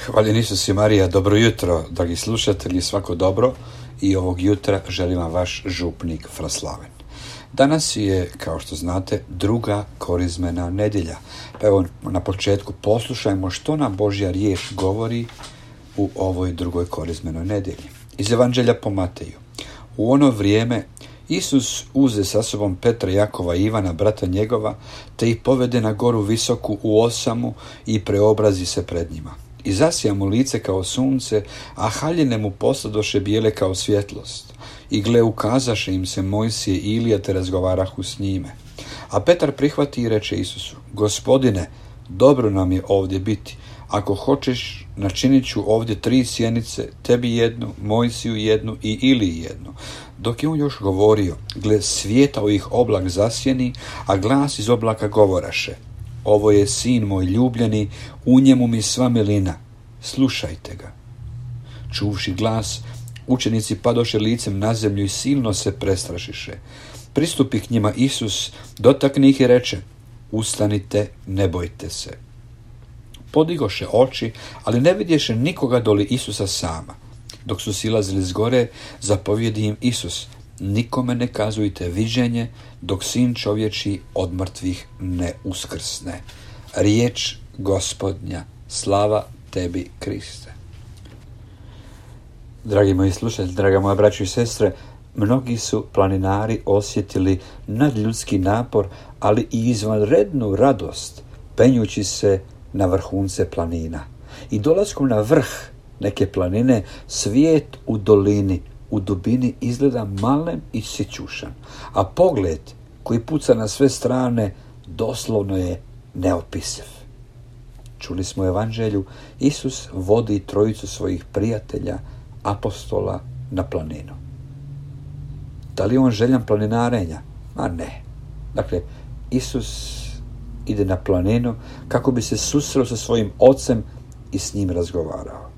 Hvaljen Isus i Marija, dobro jutro, dragi slušatelji, svako dobro, i ovog jutra želim vam vaš župnik Fraslaven. Danas je, kao što znate, druga korizmena nedjelja. Pa evo na početku poslušajmo što nam Božja riječ govori u ovoj drugoj korizmenoj nedjelji. Iz Evanđelja po Mateju. U ono vrijeme Isus uze sa sobom Petra, Jakova i Ivana, brata njegova, te ih povede na goru visoku u osamu i preobrazi se pred njima. I zasija mu lice kao sunce, a haljine mu posladoše bijele kao svjetlost. I gle, ukazaše im se Mojsije i Ilija, te razgovarahu s njime. A Petar prihvati i reče Isusu: Gospodine, dobro nam je ovdje biti. Ako hoćeš, načinit ću ovdje 3 sjenice, tebi jednu, Mojsiju jednu i Iliji jednu. Dok je on još govorio, gle, svijetao ih oblak zasjeni, a glas iz oblaka govoraše: Ovo je sin moj ljubljeni, u njemu mi sva milina, slušajte ga. Čuvši glas, učenici padoše licem na zemlju i silno se prestrašiše. Pristupi k njima Isus, dotakne ih i reče: Ustanite, ne bojte se. Podigoše oči, ali ne vidješe nikoga doli Isusa sama. Dok su silazili s gore, zapovjedi im Isus: Nikome ne kazujte viđenje, dok sin čovječji od mrtvih ne uskrsne. Riječ Gospodnja, slava tebi, Kriste. Dragi moji slušatelji, draga moja braćo i sestre, mnogi su planinari osjetili nadljudski napor, ali i izvanrednu radost penjući se na vrhunce planina. I dolaskom na vrh neke planine, svijet u dolini, u dubini izgleda malen i sićušan, a pogled koji puca na sve strane doslovno je neopisiv. Čuli smo u Evanđelju, Isus vodi 3 svojih prijatelja, apostola, na planinu. Da li je on željan planinarenja? Ma ne. Dakle, Isus ide na planinu kako bi se susreo sa svojim ocem i s njim razgovarao.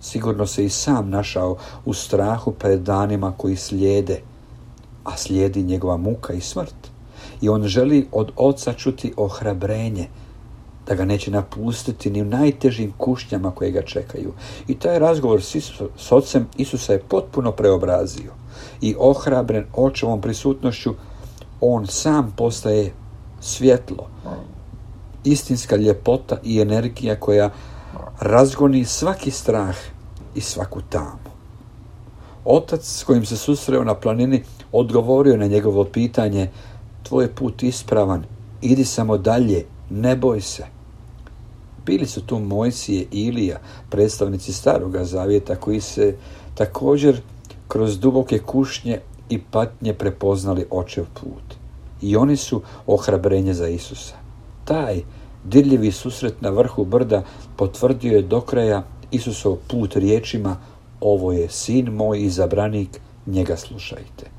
Sigurno se i sam našao u strahu pred danima koji slijede, a slijedi njegova muka i smrt. I on želi od oca čuti ohrabrenje, da ga neće napustiti ni u najtežim kušnjama koje ga čekaju. I taj razgovor s ocem Isusa je potpuno preobrazio. I ohrabren očevom prisutnošću, on sam postaje svjetlo, istinska ljepota i energija koja razgoni svaki strah i svaku tamu. Otac s kojim se susreo na planini odgovorio na njegovo pitanje: Tvoj je put ispravan, idi samo dalje, ne boj se. Bili su tu Mojsije i Ilija, predstavnici Staroga zavjeta, koji se također kroz duboke kušnje i patnje prepoznali očev put. I oni su ohrabrenje za Isusa. Taj dirljivi susret na vrhu brda potvrdio je do kraja Isusov put riječima: Ovo je sin moj izabranik, njega slušajte.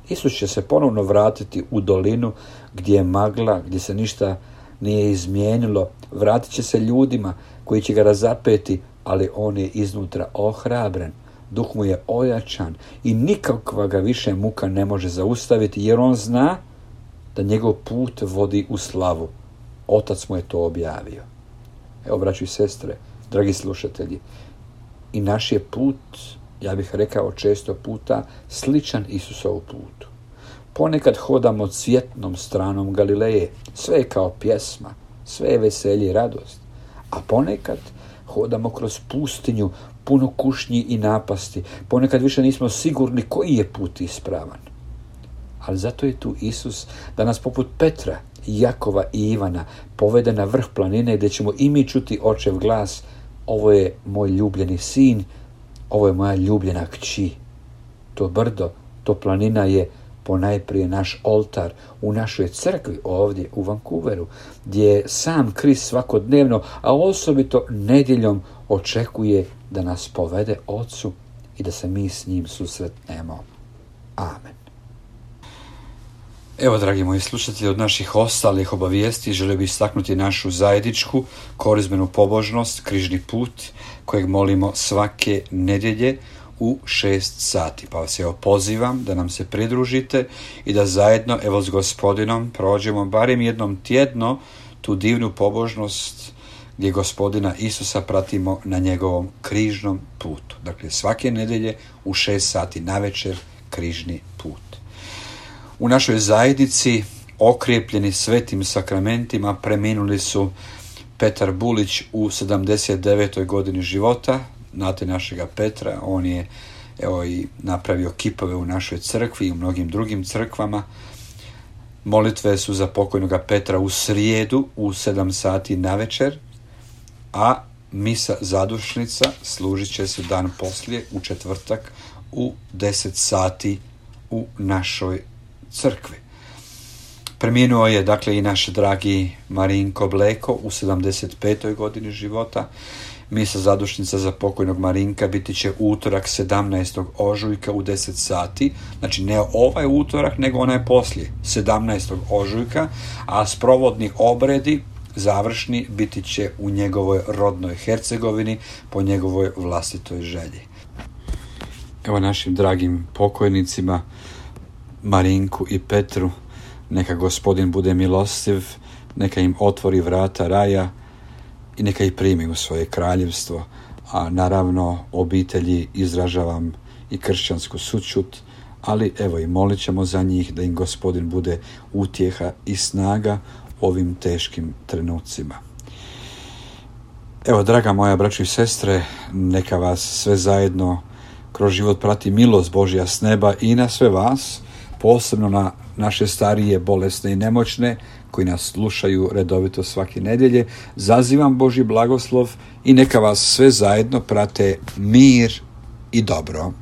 Isus će se ponovno vratiti u dolinu gdje je magla, gdje se ništa nije izmijenilo. Vratit će se ljudima koji će ga razapeti, ali on je iznutra ohrabren. Duh mu je ojačan i nikakva ga više muka ne može zaustaviti, jer on zna da njegov put vodi u slavu. Otac mu je to objavio. Evo, braćo i sestre, dragi slušatelji, i naš je put, ja bih rekao često puta, sličan Isusovu putu. Ponekad hodamo cvjetnom stranom Galileje, sve je kao pjesma, sve je veselje i radost. A ponekad hodamo kroz pustinju, puno kušnji i napasti. Ponekad više nismo sigurni koji je put ispravan. Ali zato je tu Isus da nas poput Petra, Jakova i Ivana povede na vrh planine gdje ćemo i mi čuti očev glas: Ovo je moj ljubljeni sin, ovo je moja ljubljena kći. To brdo, to planina je ponajprije naš oltar u našoj crkvi ovdje u Vancouveru, gdje sam Krist svakodnevno, a osobito nedjeljom, očekuje da nas povede Ocu i da se mi s njim susretnemo. Amen. Evo, dragi moji slušatelji, od naših ostalih obavijesti želio bih istaknuti našu zajedničku korizmenu pobožnost, križni put, kojeg molimo svake nedjelje u 6 sati. Pa vas evo pozivam da nam se pridružite i da zajedno, s Gospodinom, prođemo barem jednom tjedno tu divnu pobožnost gdje Gospodina Isusa pratimo na njegovom križnom putu. Dakle, svake nedjelje u 6 sati navečer križni put. U našoj zajednici, okrijepljeni svetim sakramentima, preminuli su Petar Bulić u 79. godini života. Znate našega Petra, on je i napravio kipove u našoj crkvi i u mnogim drugim crkvama. Molitve su za pokojnoga Petra u srijedu u 7 sati navečer, a misa zadušnica služit će se dan poslije u četvrtak u 10 sati u našoj crkvi. Preminuo je dakle i naš dragi Marinko Bleko u 75. godini života. Misa zadušnica za pokojnog Marinka biti će utorak 17. ožujka u 10 sati, znači ne ovaj utorak, nego onaj poslije, 17. ožujka, a sprovodni obredi završni biti će u njegovoj rodnoj Hercegovini po njegovoj vlastitoj želji. Evo našim dragim pokojnicima Marinku i Petru, neka Gospodin bude milostiv, neka im otvori vrata raja i neka ih primi u svoje kraljevstvo, a naravno obitelji izražavam i kršćansku sućut, ali evo i molit ćemo za njih da im Gospodin bude utjeha i snaga u ovim teškim trenucima. Evo, draga moja braćo i sestre, neka vas sve zajedno kroz život prati milost Božja s neba i na sve vas, posebno na naše starije, bolesne i nemoćne koji nas slušaju redovito svake nedjelje. Zazivam Božji blagoslov i neka vas sve zajedno prate mir i dobro.